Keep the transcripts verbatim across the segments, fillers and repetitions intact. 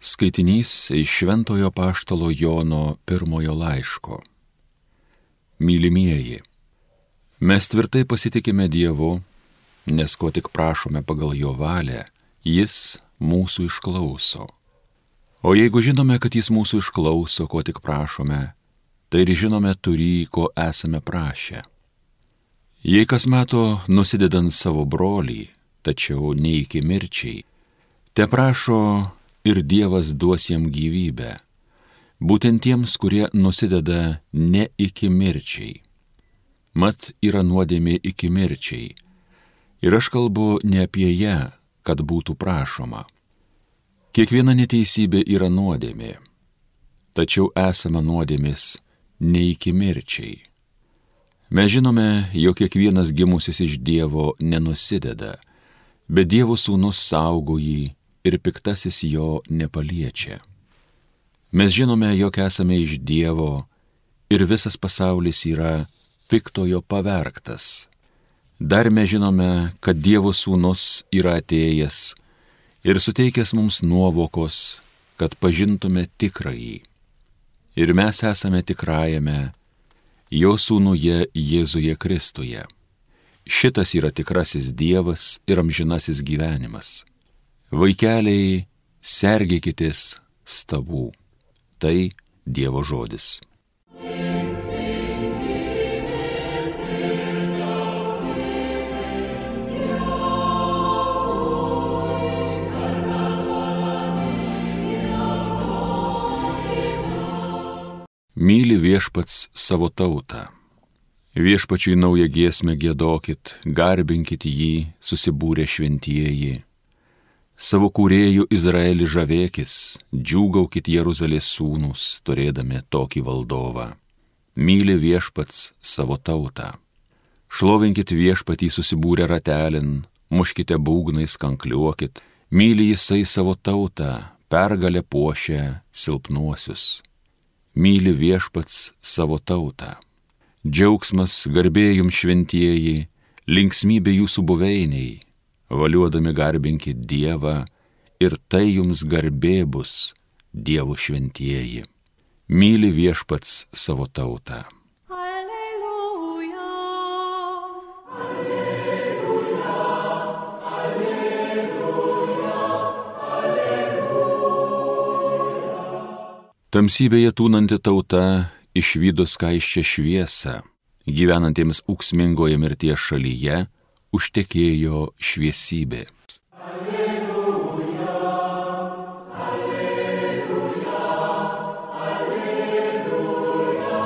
Skaitinys iš Šventojo Apaštalo Jono pirmojo laiško. Mylimieji, mes tvirtai pasitikime Dievu, nes ko tik prašome pagal jo valią, jis mūsų išklauso. O jeigu žinome, kad jis mūsų išklauso, ko tik prašome, tai ir žinome turį, ko esame prašę. Jei kas mato nusidedant savo brolį, tačiau ne iki mirčiai, te prašo ir Dievas duos jam gyvybę, būtent tiems, kurie nusideda ne iki mirčiai. Mat yra nuodėmė iki mirčiai, ir aš kalbu ne apie ją, kad būtų prašoma. Kiekviena neteisybė yra nuodėmė, tačiau esama nuodėmės ne iki mirčiai. Mes žinome, jog kiekvienas gimusis iš Dievo nenusideda, bet Dievo sūnus saugo jį ir piktasis jo nepaliečia. Mes žinome, jog esame iš Dievo ir visas pasaulis yra piktojo pavergtas. Dar mes žinome, kad Dievo sūnus yra atėjęs ir suteikęs mums nuovokos, kad pažintume tikrąjį. Ir mes esame tikrajame jo sūnuje Jėzuje Kristuje. Šitas yra tikrasis Dievas ir amžinasis gyvenimas. Vaikeliai, sergėkitės stabų. Tai Dievo žodis. Myli viešpats savo tautą. Viešpačiui naują giesmę giedokit, garbinkit jį, susibūrę šventieji. Savo kūrėjų Izraelį žavėkis, džiūgaukit Jeruzalės sūnūs, turėdami tokį valdovą. Myli viešpats savo tautą. Šlovinkit viešpatį susibūrę ratelin, muškite būgnais, kankliuokit. Myli jisai savo tautą, pergalę puošia silpnuosius. Myli viešpats savo tautą. Džiaugsmas, garbė jums šventieji, linksmybė jūsų buveiniai. Valiuodami garbinkit Dievą ir tai jums garbė bus, Dievo šventieji. Myli viešpats savo tautą. Alleluja, alleluja, alleluja, alleluja. Tamsybėje tūnanti tauta išvydo skaisčią šviesą, gyvenantiems ūksmingoje mirties šalyje užtekėjo šviesybė. Alleluja, alleluja, alleluja,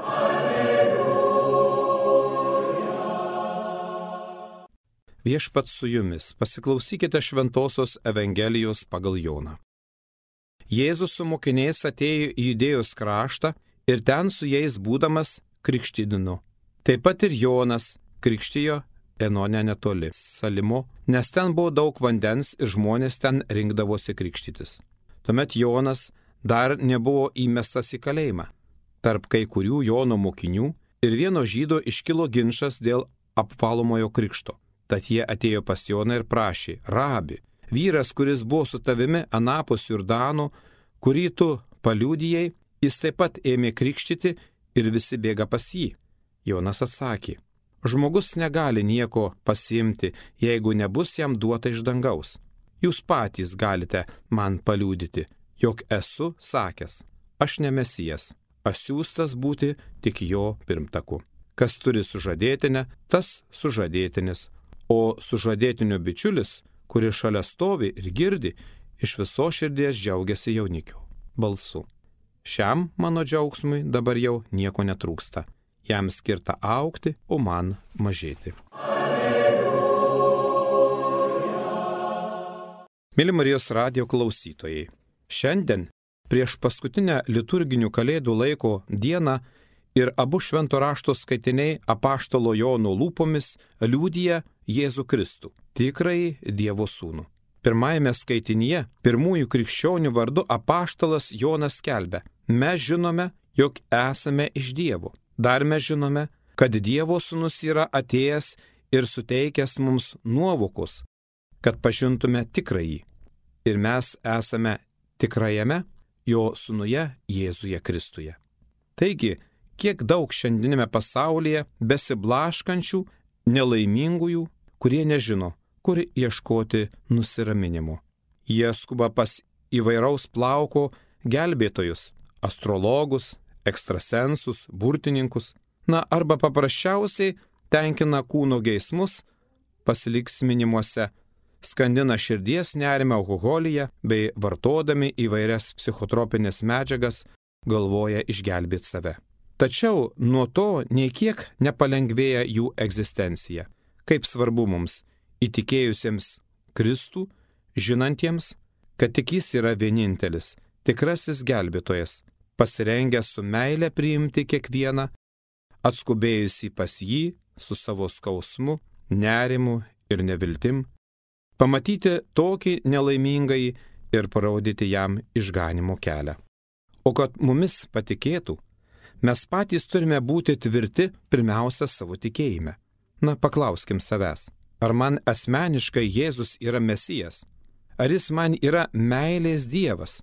alleluja. Viešpats su jumis, pasiklausykite šventosios Evangelijos pagal Joną. Jėzus su mokiniais atėjo į Judėjos kraštą ir ten su jais būdamas krikštydino. Taip pat ir Jonas krikštijo Enone netoli Salimo, nes ten buvo daug vandens ir žmonės ten rinkdavosi krikštytis. Tuomet Jonas dar nebuvo įmestas į kalėjimą. Tarp kai kurių Jono mokinių ir vieno žydo iškilo ginčas dėl apvalomojo krikšto. Tad jie atėjo pas Joną ir prašė: Rabi, vyras, kuris buvo su tavimi anapus Jordano, kurį tu paliudijai, jis taip pat ėmė krikštyti ir visi bėga pas jį. Jonas atsakė: Žmogus negali nieko pasiimti, jeigu nebus jam duota iš dangaus. Jūs patys galite man paliudyti, jog esu sakęs: aš ne Mesijas, aš siųstas būti tik jo pirmtaku. Kas turi sužadėtinę, tas sužadėtinis, o sužadėtinio bičiulis, kuris šalia stovi ir girdi, iš viso širdies džiaugiasi jaunikio balsu. Šiam mano džiaugsmui dabar jau nieko netrūksta. Jam skirta augti, o man mažėti. Alleluja. Mėly Marijos radijo klausytojai, šiandien prieš paskutinę liturginių kalėdų laiko dieną ir abu švento rašto skaitiniai apaštalo Jono lūpomis liudija Jėzų Kristų, tikrąjį Dievo sūnų. Pirmajame skaitinyje pirmųjų krikščionių vardu apaštalas Jonas skelbia: mes žinome, jog esame iš Dievo. Dar mes žinome, kad Dievo sūnus yra atėjęs ir suteikęs mums nuovokos, kad pažintume tikrąjį. Ir mes esame tikrajame jo sūnuje Jėzuje Kristuje. Taigi, kiek daug šiandieninėme pasaulyje besiblaškančių, nelaimingųjų, kurie nežino, kur ieškoti nusiraminimo. Jie skuba pas įvairaus plauko gelbėtojus, astrologus, ekstrasensus, burtininkus, na arba paprasčiausiai tenkina kūno geismus pasiliksminimuose, skandina širdies nerimą alkoholyje bei vartodami įvairias psichotropinės medžiagas galvoja išgelbėti save. Tačiau nuo to nei kiek nepalengvėja jų egzistencija. Kaip svarbu mums, įtikėjusiems Kristų, žinantiems, kad tik jis yra vienintelis, tikrasis gelbėtojas, pasirengęs su meile priimti kiekvieną, atskubėjusį pas jį su savo skausmu, nerimu ir neviltim, pamatyti tokį nelaimingąjį ir parodyti jam išganimo kelią. O kad mumis patikėtų, mes patys turime būti tvirti pirmiausia savo tikėjime. Na, paklauskim savęs, ar man asmeniškai Jėzus yra Mesijas? Ar jis man yra meilės Dievas,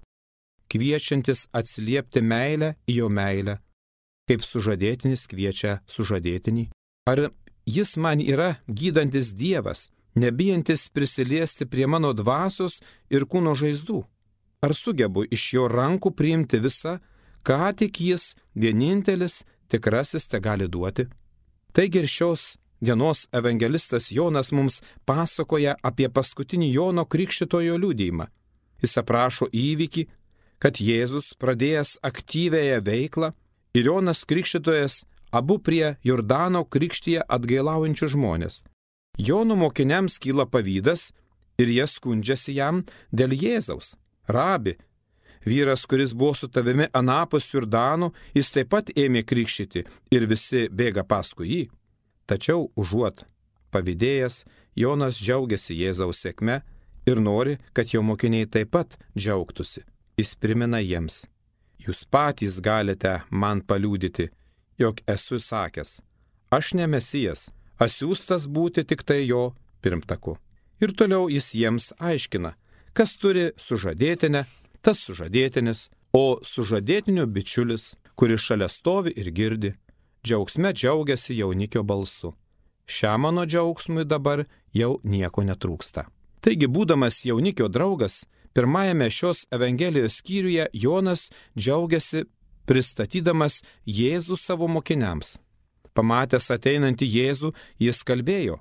kviečiantis atsiliepti meilę į jo meilę, kaip sužadėtinis kviečia sužadėtinį? Ar jis man yra gydantis Dievas, nebijantis prisiliesti prie mano dvasios ir kūno žaizdų? Ar sugebu iš jo rankų priimti visą, ką tik jis vienintelis tikrasis te gali duoti? Taigi ir šios dienos evangelistas Jonas mums pasakoja apie paskutinį Jono Krikštytojo liudijimą. Jis aprašo įvykį, kad Jėzus pradėjęs aktyviąją veiklą ir Jonas Krikštytojas abu prie Jordano krikštyje atgailaujančių žmonės. Jono mokiniams kyla pavydas ir jie skundžiasi jam dėl Jėzaus. Rabi, vyras, kuris buvo su tavimi anapus Jordano, jis taip pat ėmė krikštyti ir visi bėga paskui jį. Tačiau užuot pavydėjęs, Jonas džiaugiasi Jėzaus sėkme ir nori, kad jo mokiniai taip pat džiaugtųsi. Jis primena jiems: jūs patys galite man paliudyti, jog esu sakęs, aš ne Mesijas, asiųstas būti tik tai jo pirmtaku. Ir toliau jis jiems aiškina, kas turi sužadėtinę, tas sužadėtinis, o sužadėtinio bičiulis, kuris šalia stovi ir girdi, džiaugsme džiaugiasi jaunikio balsu. Šiam mano džiaugsmui dabar jau nieko netrūksta. Taigi, būdamas jaunikio draugas, pirmajame šios Evangelijos skyriuje Jonas džiaugiasi pristatydamas Jėzų savo mokiniams. Pamatęs ateinantį Jėzų, jis kalbėjo: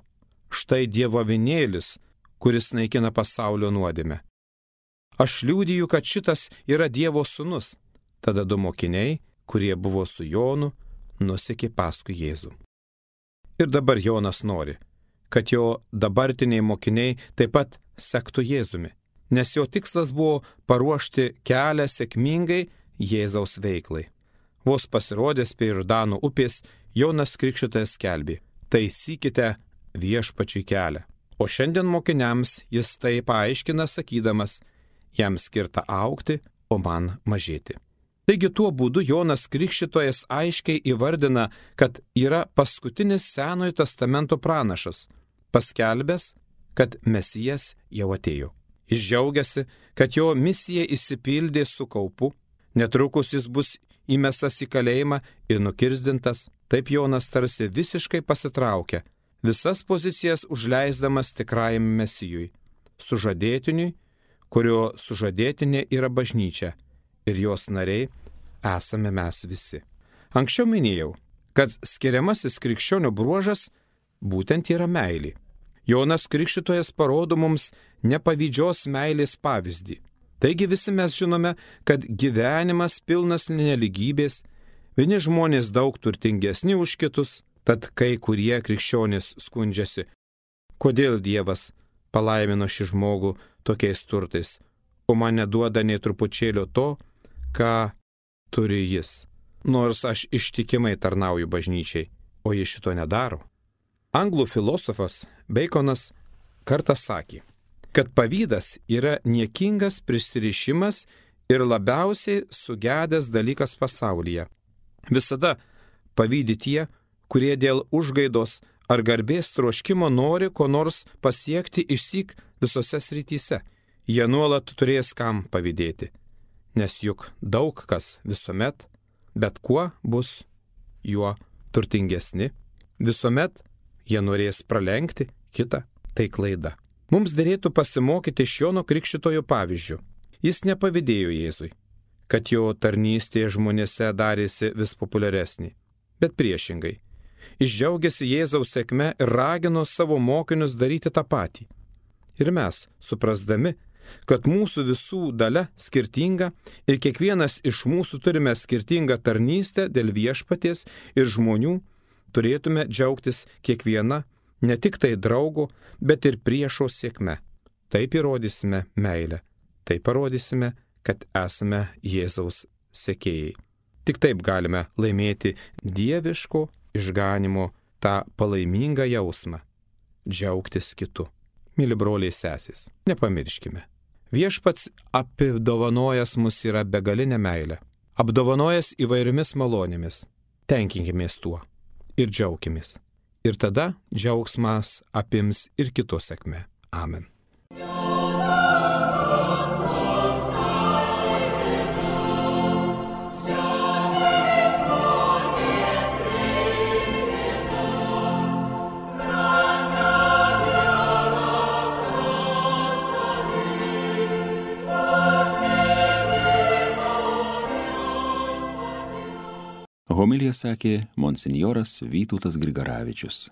štai Dievo avinėlis, kuris naikina pasaulio nuodėmę. Aš liudiju, kad šitas yra Dievo sūnus. Tada du mokiniai, kurie buvo su Jonu, nusekė paskui Jėzų. Ir dabar Jonas nori, kad jo dabartiniai mokiniai taip pat sektų Jėzumi, nes jo tikslas buvo paruošti kelią sėkmingai Jėzaus veiklai. Vos pasirodęs prie Jordano upės, Jonas Krikštytojas skelbė: taisykite viešpačiui kelią. O šiandien mokiniams jis tai paaiškina sakydamas: jam skirta augti, o man mažėti. Taigi tuo būdu Jonas Krikštytojas aiškiai įvardina, kad yra paskutinis Senojo testamento pranašas, paskelbęs, kad Mesijas jau atėjo. Jis džiaugiasi, kad jo misija išsipildė su kaupu, netrukus jis bus įmestas į kalėjimą ir nukirzdintas. Taip Jonas tarsi visiškai pasitraukia, visas pozicijas užleisdamas tikrajam Mesijui, sužadėtiniui, kurio sužadėtinė yra bažnyčia ir jos nariai esame mes visi. Anksčiau minėjau, kad skiriamasis krikščionių bruožas būtent yra meilė. Jonas Krikštytojas parodo mums nepavydžios meilės pavyzdį. Taigi visi mes žinome, kad gyvenimas pilnas nelygybės, vieni žmonės daug turtingesni už kitus, tad kai kurie krikščionys skundžiasi, kodėl Dievas palaimino šį žmogų tokiais turtais, o man neduoda nei trupučėlio to, ką turi jis, nors aš ištikimai tarnauju bažnyčiai, o jis šito nedaro. Anglų filosofas Beikonas kartą sakė, kad pavydas yra niekingas prisirišimas ir labiausiai sugedęs dalykas pasaulyje. Visada pavydi tie, kurie dėl užgaidos ar garbės troškimo nori ko nors pasiekti išsyk visose srityse. Jie nuolat turės kam pavydėti. nes juk daug kas visuomet, bet kuo bus juo turtingesni, visuomet jie norės pralenkti kitą, tai klaida. Mums derėtų pasimokyti iš Jono Krikštytojo pavyzdžių. Jis nepavydėjo Jėzui, kad jo tarnystė žmonėse darėsi vis populiaresnė, bet priešingai. Jis džiaugiasi Jėzaus sėkme ir ragino savo mokinius daryti tą patį. Ir mes, suprasdami, kad mūsų visų dalia skirtinga ir kiekvienas iš mūsų turime skirtingą tarnystę dėl viešpaties ir žmonių, turėtume džiaugtis kiekviena, ne tik tai draugo, bet ir priešo sėkme. Taip įrodysime meilę, taip parodysime, kad esame Jėzaus sekėjai. Tik taip galime laimėti dieviško išganimo tą palaimingą jausmą - džiaugtis kitu. Myli broliai sesės, nepamirškime. Viešpats apdovanojęs mus yra begalinė meilė, apdovanojęs įvairiomis malonėmis. Tenkinkimės tuo ir džiaukimės. Ir tada džiaugsmas apims ir kito sėkmę. Amen. Homiliją sakė monsinjoras Vytautas Grigaravičius.